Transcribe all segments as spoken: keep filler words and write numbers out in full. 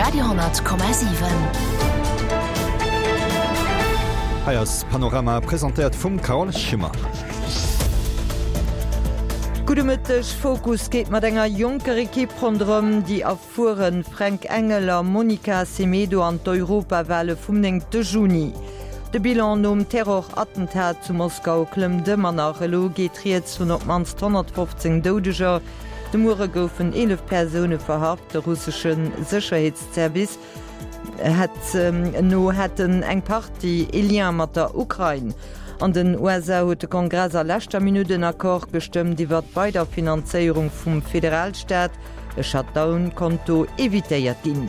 Radio honnert Komma siwen. Hei ass Panorama, presentéiert vum Carole Schimmer. Gudde Mëtteg, Fokus geet mat enger jonker Ekipp ronderëm déi erfuere Fränk Engel a Monica Semedo an d'Europawale vum néngte Juni. De Bilan nom Terror-Attentat zu Moskau klëmmt ëmmer nach, elo geet rieds vun op d'mannst honnertfofzéng Doudeger. De Muere goufen eelef Persoune verhaft, de russesche Sécherheetsservice hätt no hätten eng Partie e Lien mat der Ukrain. An den U S A huet de Kongress a leschter Minutt en Accord gestëmmt iwwer d'Weiderfinanzéierung vum Federalstaat. E Shutdown konnt do evitéiert ginn.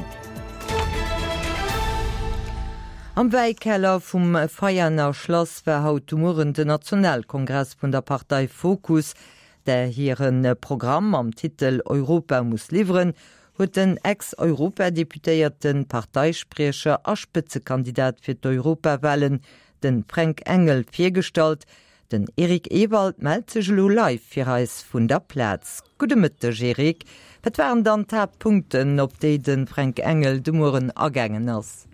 Am Wäikeller vum Veianer Schlass war haut de Mueren den Nationalkongress vun der Partei Fokus, där hiren Programm mam Titel Europa muss liwweren, huet den Ex-Europadeputéierten, Parteispriecher a Spëtzekandidat fir d'Europawalen, den Fränk Engel, virgestallt. Den Eric Ewald mellt sech elo live fir eis vun der Plaz. Gudde Mëtteg, Eric. Wat waren dann d'Haaptpunkten, op déi de Fränk Engel de Mueren agaangen ass?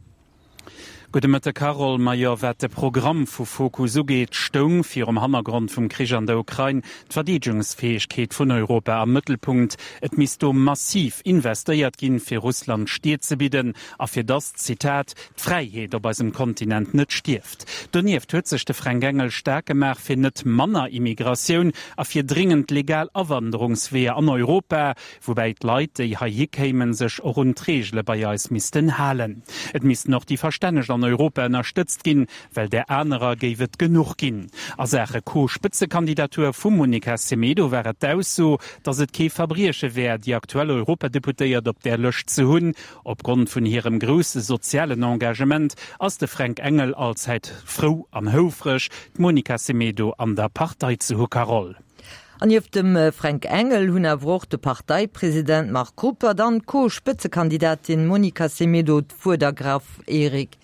Gudde Mëtteg, Carole. Majo, wat de Programm vu Fokus ugeet, stoung virum Hannergrond vum Krich an der Ukrain d'Verdeedegungsfäegkeet vun Europa am Mëttelpunkt. Et misst do massiv investéiert ginn, fir Russland Stier ze bidden a fir dass, Zitat, d'Fräiheet op eisem Kontinent net stierft. Donieft huet sech de Fränk Engel staark gemaach fir net manner Immigratioun a fir dringend legal Awanderungsweeër an Europa, woubäi d'Leit, déi heihi kéimen, sech och un d'Reegele bei eis missten halen. Et missten och déi Verstänneg an Europa ënnerstëtzt ginn, well där anerer géif et genuch ginn. A Saache Co-Spëtzekandidatur vum Monica Semedo war et d'Ausso, datt et kee Verbrieche wär, déi aktuell Europadeputéiert op där Lëscht ze hunn. Opgrond vun hirem grousse sozialen Engagement ass de Fränk Engel allzäit frou an houfreg, d'Monica Semedo an der Partei ze hu, Carole. An nieft dem Fränk Engel hunn awer och de Parteipresident Marc Ruppert an d'Co-Spëtzekandidatin Monica Semedo d'Wuert ergraff, Eric.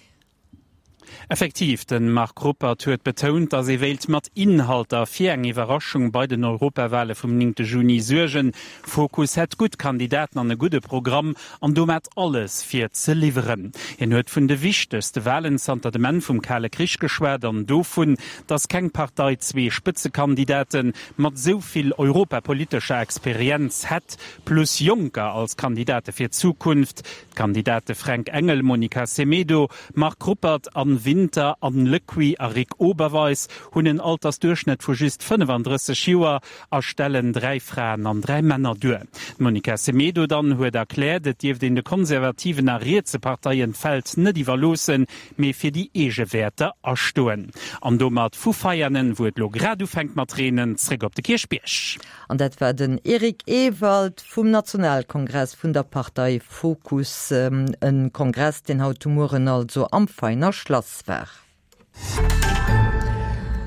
Effektiv, den Marc Ruppert huet betount, datt ee wéilt mat Inhalter fir eng Iwwerraschung bei den Europawale vum néngte Juni suergen. Fokus hätt gutt Kandidaten an e gudde Programm an domat alles fir ze liwweren. Hien huet vun de wichtegste Walen zanter dem Enn vum Kale Krich geschwat an dovun, datt keng Partei zwee Spëtzekandidaten mat sou vill europapolitescher Experienz hätt, plus Jonker als Kandidate fir d'Zukunft. D'Kandidate Fränk Engel, Monica Semedo, Marc Ruppert, Anne Winter, Anne Lecuit a Rick Oberweis hunn en Altersduerchschnëtt vu just fënnefandrësseg Joer a stellen dräi Fraen an dräi Männer duer. D'Monica Semedo dann huet erkläert, et dierft een de konservativen a rietse Parteien d'Feld net iwwerloossen, mee fir déi eege Wäerter astoen. An domat vu Veianen, wou et lo grad ufänkt mat reenen, zréck op de Kierchbierg. An dat war den Eric Ewald vum Nationalkongress vun der Partei Fokus, en Kongress, deen haut de Mueren also am Veiner Schlass war.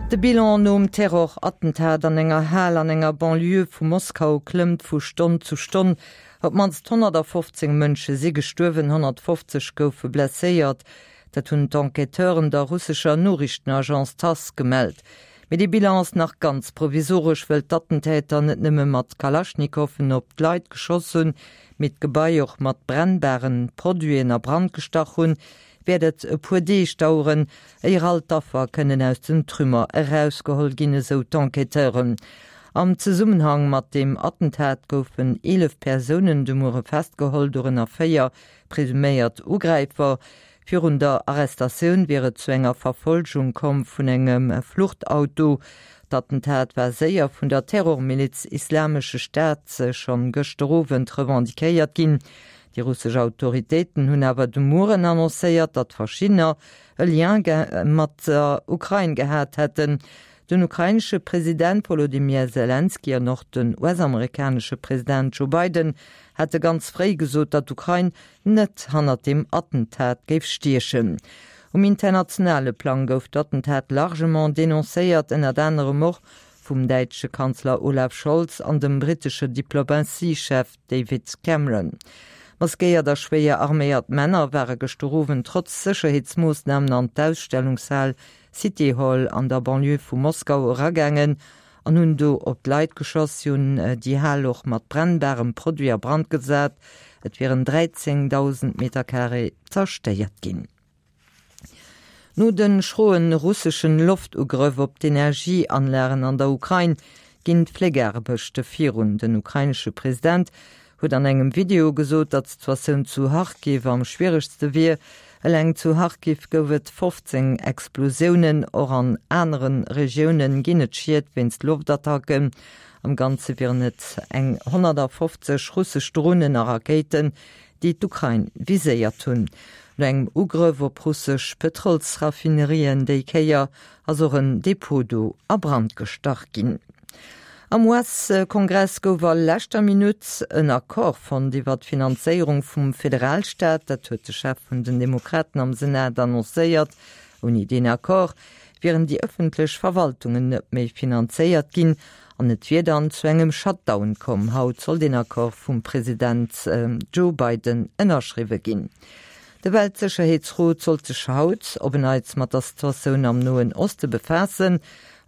De Bilan nom Terrorattentat an enger Hal an enger Banlieue vu Moskau klëmmt vu Stonn zu Stonn. Op d'mannst honnertfofzéng Mënsche si gestuerwen, honnertfofzeg goufe blesséiert. Dat hunn d'Enquêteuren der russescher Noriichtenagence T A S S gemellt. Mee déi Bilan ass nach ganz provisoresch, well d'Attentäter net nëmme mat Kalaschnikowen op d'Leit geschoss hunn, mee d'Gebai och mat brennbaren Produiten a Brand gestach hunn, wäert et e puer Deeg daueren, éier all d'Affer kënnen aus den Trümmer erausgeholl ginn, esou d'Enquêteuren. Am Zesummenhang mat dem Attentat goufen eelef Persounen de Muere festgeholl, dorënner véier presuméiert Ugräifer. Virun der Arrestatioun wier et zu enger Verfolgung komm vun engem Fluchtauto. D'Attentat war séier vun der Terrormiliz Islamesche Staat schonn gëschter Owend revendiquéiert ginn. Déi russesch Autoritéiten hunn awer de Mueren annoncéiert, datt verschiddener e Lien ge-, mat der Ukrain gehat hätten. Den ukrainesche President Volodymyr Zelensky an och den U S-amerikanesche President Joe Biden hätte ganz fréi gesot, datt d'Ukrain net hannert dem Attentat géif stiechen. Um internationale Plang gouf d'Attentat largement denoncéiert, ënnert anerem och vum däitsche Kanzler Olaf Scholz an dem brittesche Diplomatiechef David Cameron. Maskéiert a schwéier arméiert Männer ware gëschter Owend trotz Sécherheetsmoossnamen an d'Ausstellungshal City Hall an der Banlieue vu Moskau eragaangen an hunn do op d'Leit geschoss. Si hunn déi Hal och mat brennbarem Produit a Brand gesat. Et wieren dräizéngdausend Meter Carré zerstéiert ginn. No de schroe russeschen Loftugrëff op d'Energieanlagen an der Ukrain ginn d'Fléckaarbechte virun. Den ukrainesche President huet an engem Video gesot, datt d'Situatioun zu Charkiw am schwieregste wier. Eleng zu Charkiw gouf et fofzéng Explosiounen, och an anere Regioune ginn et Schied wéinst Loftattacken. Am Ganze wieren et eng honnertafofzeg russesch Dronen a Rakéiten, déi d'Ukrain viséiert hunn. No engem Ugrëff op russesch Pëtrolsraffinerien déi Kéier ass och en Depot do a Brand gestach ginn. Am U S-Kongress gouf a leschter Minutt en Accord fonnt iwwer d'Finanzéierung vum Federalstaat. Dat huet de Chef vun den Demokraten am Senat annoncéiert. Ouni deen Accord wieren déi ëffentlech Verwaltungen net méi finanzéiert ginn an et wier dann zu engem Shutdown komm. Haut soll deen Accord vum President Joe Biden ënnerschriwwe ginn. De Weltsécherheetsrot sollt sech haut op en Neits mat der Situatioun am Noen Oste befaassen.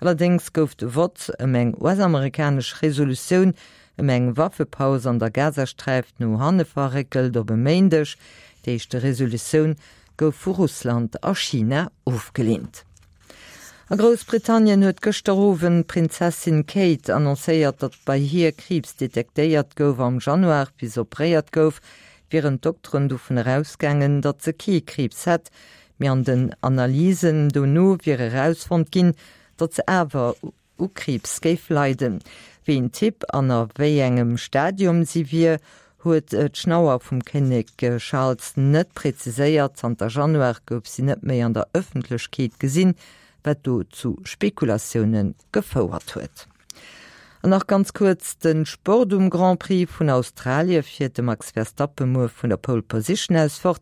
Allerdéngs gouf de Vott ëm eng U S-amerikanesch Resolutioun ëm eng Waffepaus an der Gazasträif no hanne verréckelt op e Méindeg. Déi éischt Resolutioun gouf vu Russland a China ofgeleent. A Groussbritannien huet gëschter Owend d'Prinzessin Kate annoncéiert, datt bei hir Kriibs detektéiert gouf. Am Januar, wéi se operéiert gouf, wieren d'Dokteren dovun erausgaangen, datt se kee Kriibs hätt, mee an den Analysen dono wier erausfonnt ginn, datt se awer u Kriibs géif leiden. Wéi een Typ an a wéi engem Stadium si wier, huet d'Schnauer vum Kinnek Charles net präziséiert. Zanter Januar gouf si net méi an der Ëffentlechkeet gesinn, wat do zu Spekulatioune gefouert huet. An nach ganz kuerz de Sport, Um Grand Prix vun Australie fiert de Max Verstappen muer vun der Pole Position aus fort.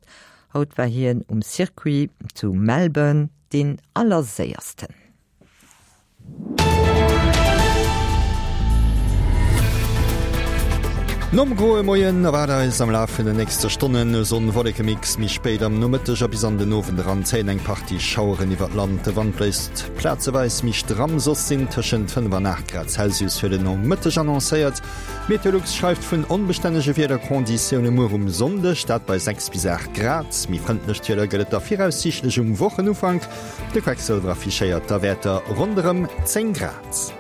Haut war hien um Circuit zu Melbourne deen Allerséiersten. Nom groe Moien erwaart eis am Laf vun den nächste Stonnen e Sonn-Wolleke-Mix. Méi spéit am Nomëtteg a bis an den Owend eran zéien eng Partie Schaueren iwwer d'Land. De Wand bléist plazeweis méi stramm, soss sinn tëschent fënnef an aacht Grad Celsius fir den Nomëtteg annoncéiert. Meteolux schreift vun onbestännege Wiederkonditioune muer um Sonndeg, dat bei sechs bis aacht Grad. Méi frëndlecht Wieder gëtt et da viraussiichtlech um Wochenufank. De Quecksëlwer affichéiert da Wäerter ronderëm zéng Grad.